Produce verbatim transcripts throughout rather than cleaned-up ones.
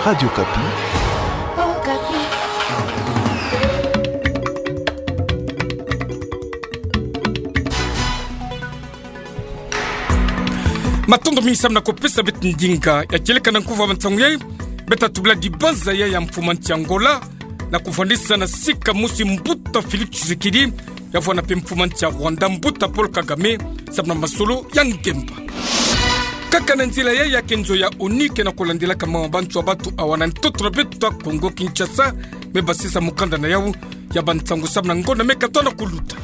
Radio Okapi. Matondo mingi samu na kupesa beto ndinga. Ya kieleka na nkufi ya bansangu yai, beto tatubila dibanza yai ya mfumu a nsi Angola, na kuvwandisa na sika mosi mbuta Félix Tshisekedi, ya vwanda mpe mfumu a nsi ya Rwanda mbuta Paul Kagame, samu na masolo ya ngemba. Kaka na nzila yai ya ke nzo ya ONU ke na kulandelaka mawa ma bansoni ya bato awa na ntoto na beto ya Kongo Kinshasa, me basisa mukanda na yau ya bansangu samu na ngonda me katuka na kuluta.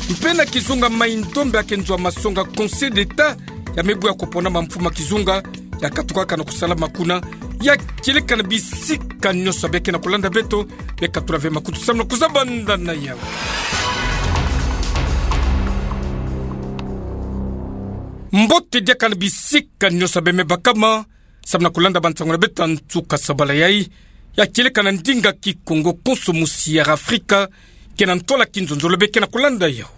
Mpe na kizunga Mai-Ndombe ya ke nzo ya masonga Conseil d'État, ya me bwe ya kupona ma mfumu a kizunga, ya katukaka na kusalama kuna, ya kieleka na bisika nyonso ya beke na kulanda beto, beka tula ve makutu samu na kuzaba nda na yau. Mbote diaka na bisika nyonso ya beme bakama, samu na kulanda bansangu na beto ya nsuka sabala yai, ya kieleka na ndinga Kikongo konso musi ya Afrika, ke na ntwala kinzonzolo beke na kulanda yau.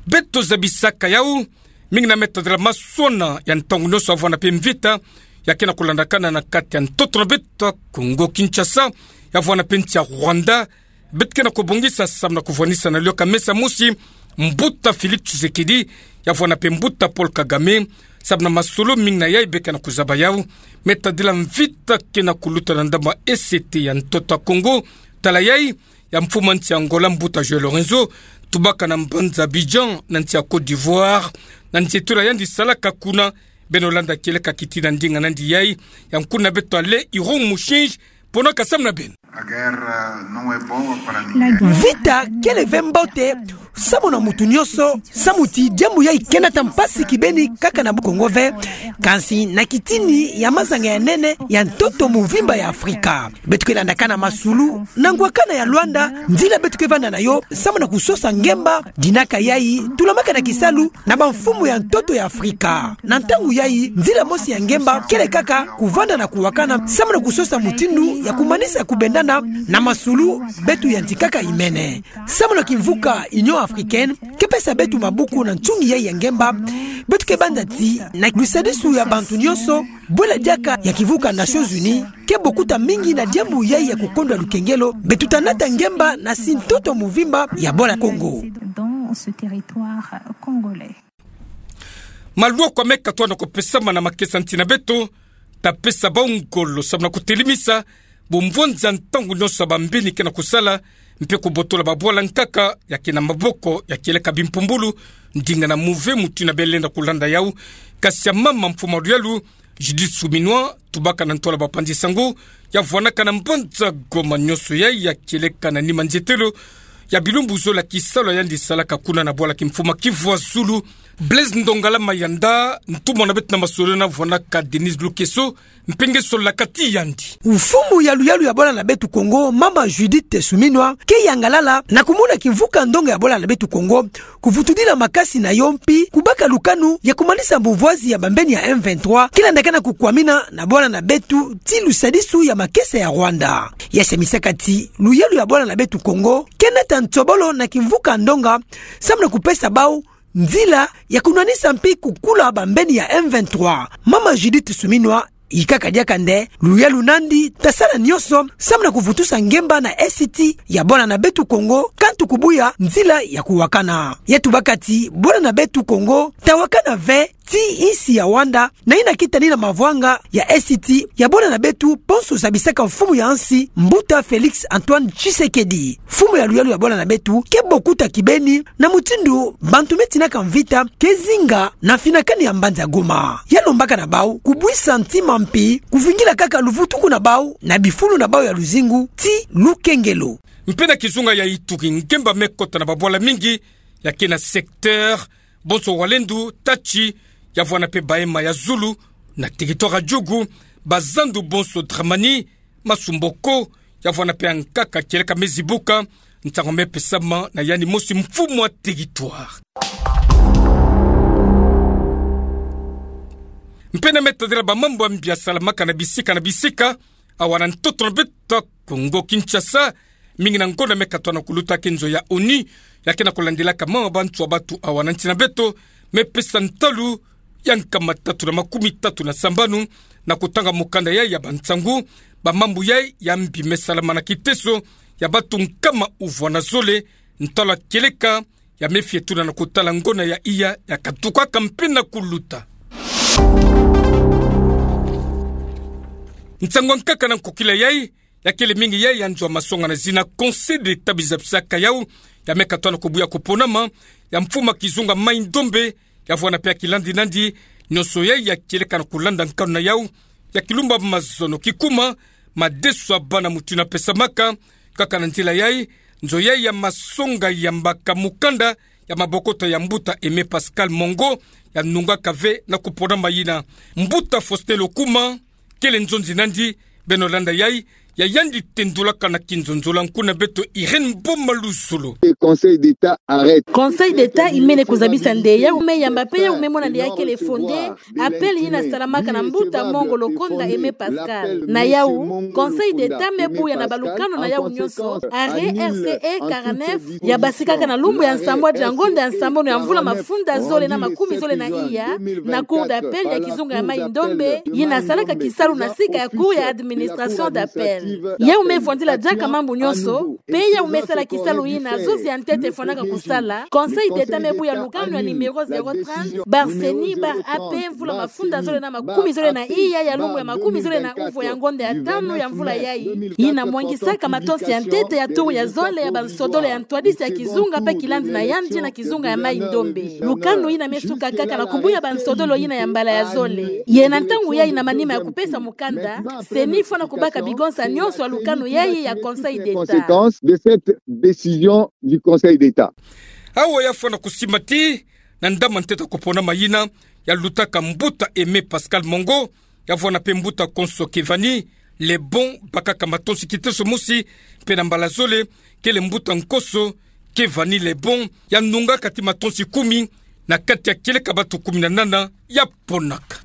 Beto zabisaka yau, mingi na me tadila masona ya ntangu nyonso ya vwanda mpe mvita, ya ke na kulandakana na kati ya ntoto na beto ya Kongo Kinshasa, ya vwanda mpe nsi ya Rwanda, beto ke na kubongisa samu na kuvwanisa na lioka mesa mosi, mbuta Félix Tshisekedi, ya vwanda mpe mbuta Paul Kagame, samu na masolo mingi na yai beke na kuzaba yau, me tadila mvita ke na kuluta na ndambu ya E C T ya ntoto ya Kongo, tala yai, ya mfumu a nsi ya Angola mbuta João Lourenço, tubaka na mbanza Abidjan, na nsi ya Côte d'Ivoire, na nzietolo ya yandi salaka kuna, beno landa kieleka kiti na ndinga nandi yai, ya nkuna beto Alain Iron Mushinji, ponaka samu na beno. A guerra não é boa para ninguém. Mvita kele ve mbote samu na mutu nyonso, samu ti diambu yai ke nata mpasi kibeni kaka na Kongo ve, kansi na kitini ya mazanga ya nene ya ntoto muvimba ya Afrika. Beto ke landakana masolo na ngwakana ya Luanda, nzila beto ke vanda na yo samu na kusosa ngemba, dinaka yai tulamaka na kisalu na bamfumu ya ntoto ya Afrika. Na ntangu yai, nzila mosi ya ngemba kele kaka kuvanda na kuwakana samu na kusosa mutindu ya kumanisa kubendana na masolo beto yantikaka imene. Samu na kimvuka Union Africaine ke pesa beto maboko na nsungi yai ya ngemba, beto ke banza ti na lusadisu ya bantu nyonso, bwela diaka ya kimvuka Nations Unies ke bokuta mingi na diambu yai ya kukondwa lukengelo, beto ta nata ngemba na nsi ntoto muvimba ya bwala Kongo. Maloko me katuka na kupesama na makesa nti na beto, ta pesa bau ngolo samu na kutelemisa bumvwanza ntangu nyonso ya bambeni ke na kusala, mpe kubotola babwala nkaka ya ke na maboko ya kieleka bimpumbulu, ndinga na muve mutu ina bele na kulanda yau, kasi ya mama mfumu a luyalu, Judith Suminwa, tubaka na ntwala bapanzi sango, ya vwanaka na mbanza Goma nyonso yai ya kieleka na nima nzietolo ya bilumbu zola kisalu ya yandi salaka kuna na bwala kimfumu a Kivu ya Zulu, Blaise Ndongala Mayanda, ntumwa na beto na masolo na vwanaka Denise Lukeso, mpe nge solaka ti yandi. Mfumu ya luyalu ya bwala na beto Kongo, mama Judith Suminwa, ke yangalala na kumona kimvuka ndonga ya bwala na beto Kongo kuvutudila makasi na yo mpi kubaka lukanu ya kumanisa bumvwazi ya bambeni ya M vingt-trois, ke landakana kukwamina na bwala na beto ti lusadisu ya makesa ya Rwanda. Ya samisaka ti luyalu ya bwala na beto Kongo ke nata nsobolo na kimvuka ndonga samu na kupesa bau nzila ya kunwanisa mpi kukula bambeni ya M vingt-trois. Mama Judith Suminwa, ikaka diaka nde luyalu nandi ta sala nyonso samu na kuvutusa ngemba na Est ya bwala na beto Kongo, kantu kubuya nzila ya kuwakana. Ya tubaka ti bwala na beto Kongo ta wakana ve ti insi ya Rwanda, na ina kitani na mavwanga ya Est ya bwala na beto, ponso zabisaka mfumu ya nsi, mbuta Félix Antoine Tshisekedi. Mfumu ya luyalu ya bwala na beto ke bokuta kibeni na mutindu bantu me tinaka mvita ke zinga na mfinakani ya mbanza Goma. Ya lombaka na bau kubwisa ntima mpi kuvingila kaka luvutuku na bau na bifulu na bau ya luzingu ti lukengelo. Mpe na kizunga ya Ituri, ngemba me kota na babwala mingi ya ke na secteur bonso Walendu, Tachi, ya vwana mpe Bahema ya zulu, na territoire ya Djugu, bazandu bonso Dramani, Masumboko, ya vwana mpe ankaka kieleka me zibuka, ntangu me pesama na yandi mosi mfumu a territoire. Mpe na me tadila bamambu ya mbi ya salamaka na bisika na bisika, awa na ntoto na beto Kongo Kinshasa, mingi na ngonda me katwana kuluta ke nzo ya ONU, ya ke na kulandilaka mawa ma bansoni ya bato awa na nsi na beto, me pesa ntalu ya nkama tatu na makumi tatu na sambanu, na kutanga mukanda yai ya bansangu, bamambu yai ya mbi me salamana kiteso ya batu nkama uvwana zole, ntalwa kieleka ya me fie tuna na kutala ngona ya iya ya katukaka mpe na kuluta. Nsangu ya nkaka na nkokila yai, ya kele mingi yai ya nzo ya masonga na zina Conseil d'État bizabisaka yau, ya me katoa na kubuya kuponama ya mfumu ya kizunga Mai Ndombe, ya vwanda mpe ya kilandi nandi, nionso yai ya kieleka na kulanda nkanu na yau, ya kilumba mazono kikuma, madeso ya bana mutu ina pesamaka, kaka na nzila yai, nzo yai ya masonga ya mbaka mukanda, ya mabokota ya mbuta Aimé Pascal Mongo, ya nungaka ve na kuponama yina. Mbuta Faustin Lokuma, kele nzonzi nandi, beno landa yai, ya yandi tendulaka na kinzonzolo ya nkuna beto Irène Mboma Luzolo. Le Conseil d'État arrête. Conseil d'État imene kuzabisa nde yau me yamba mpe yau me mona nde ya kele fondé appel yina salamaka na mbuta Mongo Lokonda Aimé Pascal. Na yau, Conseil d'État me buya na balukanu na yau nionso, arrêt R C E quarante-neuf, ya basikaka na lumbu ya nsambwadi ya ngonda ya nsambanu ya mvula mafunda zole na makumi zole na iya, na Cour d'appel ya kizunga ya Mai Ndombe, yina salaka kisalu na sika ya Cour ya administration d'appel. Yau me vwandila diaka mambu nionso, mpe yau me sala kisalu yina nzonzi ya ntete fwanaka kusala, Conseil d'État me buya lukanu ya numéro zéro trente barre C E N I barre A P mvula mafunda zole na makumi zole na iya ya lumbu ya makumi zole na uvwa ya ngonda ya tanu ya mvula yai, yina mwangisaka matonsi ya ntete ya turu ya zole ya bansodolo ya ntwadisi ya kizunga mpe kilandi na yandi na kizunga ya Mai Ndombe. Lukanu yina me suka kaka na kubuya bansodolo yina ya mbala ya zole. Ye na ntangu yai na manima ya kupesa mukanda, C E N I fwana kubaka bigonsa nionso ya lukanu yai ya Conseil d'État. Conséquence de cette décision du Conseil d'État. Awa ya fwana kusimba ti, na ndama ntete ya kuponama yina, ya lutaka mbuta Aimé Pascal Mongo, ya vwanda mpe mbuta Konso Kevani Lebon, bakaka matonsi kiteso mosi, mpe na mbala zole, kele mbuta Nkoso Kevani Lebon, ya nungaka ti matonsi kumi, na kati ya kieleka batu kumi na nana, ya ponaka.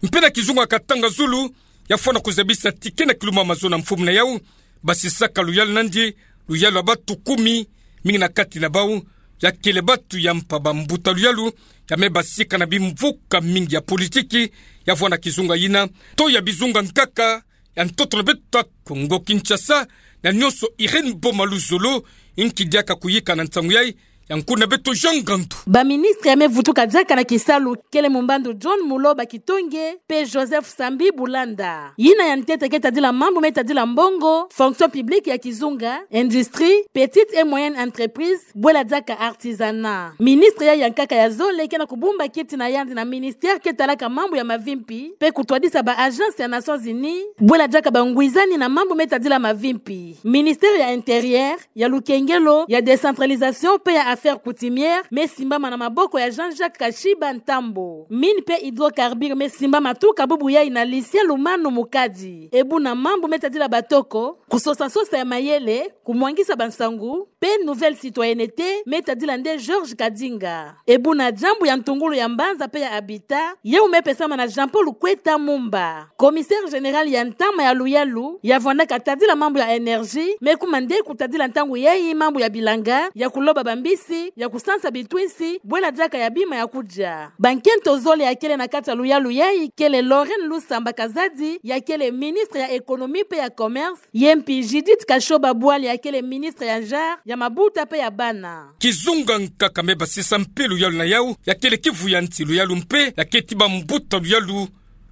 Mpe na kizunga Katanga Zulu, ya fwana kuzabisa ti ke na kilumba mazono na mfumu na yau, basisaka luyalu nandi, luyalu ya batu kumi, mingi na kati na bau, ya kele batu ya mpa bambuta luyalu, ya me basika na bimvuka mingi ya politiki, ya vwanda kizunga yina, to ya bizunga nkaka, ya ntoto na beto ya Kongo Kinshasa, na nionso Irène Mboma Luzolo, inki diaka kuyika na nsangu yai, ya nkuna beto Jean Ngandu. Baministre ya me vutuka diaka na kisalu, kele mumbandu John Muloba Kitonge, mpe Joseph Sambi Bulanda. Yina ya ntete ke tadila mambu me tadila mbongo, fonction publique ya kizunga, industrie, petite et moyenne entreprise, bwela diaka artisanat. Ministre yai ya nkaka ya zole ke na kubumba kiti na yandi na ministère ke talaka mambu ya mavimpi, mpe kutwadisa ba agence ya Nations Unies, bwela diaka bangwizani na mambu me tadila mavimpi. Ministère ya Intérieur, ya lukengelo, ya décentralisation mpe ya affaires coutumières, me simbama na maboko ya Jean-Jacques Kashiba Ntambo. Mines mpe hydrocarbures me simbama tuka bubu yai na Lucien Lumanu Mukadi. Ebu na mambu me tadila batoko, kusosa sosa ya mayele, kumwangisa bansangu, mpe nouvelle citoyenneté, me tadila nde Georges Kadinga. Ebu na diambu ya ntungulu ya mbanza mpe ya habitat, yau me pesama na Jean-Paul Kweta Mumba. Commissaire général ya ntama ya luyalu, ya vwandaka tadila mambu ya énergie, me kuma nde kutadila ntangu yai mambu ya bilanga, ya kuloba bambisi, ya kusansa bitwinsi, bwela diaka ya bima ya kudia. Bankento zole ya kele na kati ya luyalu yai, kele Lorraine Lusamba Kazadi, ya kele ministre ya économie mpe ya commerce, ye mpi Judith Kashoba Bwali ya kele ministre ya genre, ya mabuta mpe ya bana. Kizunga nkaka me basisa mpe luyalu na yau, ya kele Kivu ya nsi luyalu mpe, ya keti bambuta luyalu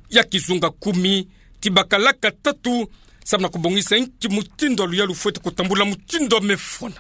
ya kizunga kumi, ti bakalaka tatu, samu na kubongisa inki mutindu ya luyalu fwete kutambula mutindu ya me fwana.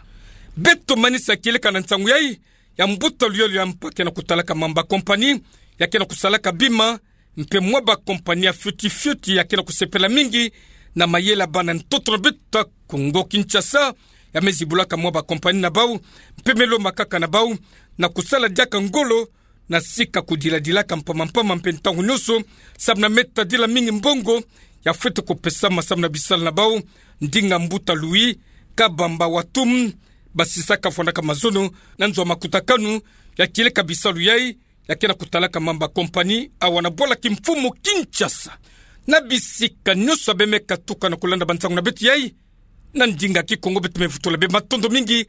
Beto manisa kieleka na nsangu yai, ya mbuta luyalu ya mpa ke na kutalaka mamba compagnie, ya ke na kusalaka bima, mpe mwa ba compagnie ya fioti fioti ya ke na kusepela mingi na mayele ya bana ntoto na beto ya Kongo Kinshasa, ya me zibulaka mwa ba compagnie na bau, mpe me lombakaka na bau, na kusala diaka ngolo, na sika kudiladilaka mpamba mpamba mpe ntangu nionso, samu na me tadila mingi mbongo, ya fwete kupesama samu na bisalu na bau, ndinga mbuta Louis Kabamba Watum, basisaka fwanaka mazono, na nzo ya makutakanu, ya kieleka bisalu yai, ya ke na kutalaka mamba compagnie, awa na bwala kimfumu Kinshasa. Na bisika nionso ya be me katuka na kulanda bansangu na beto yai, na ndinga Kikongo beto me vutula be matondo mingi,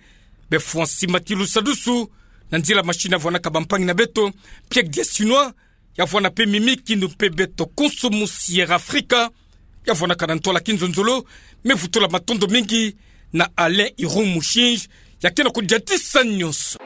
be fwa nsi mati lusadusu, na nzila machine ya vwanaka bampangi na beto, Pierre Diasinois, Ya vwanda pe mimi kinu pe beto konso mo Sierra Africa. Ya vwanda kana ntwala ki nzonzolo, me vutula matondo mingi na Alain Iroux Mouchinge, ya kena ko diadisa nyonso.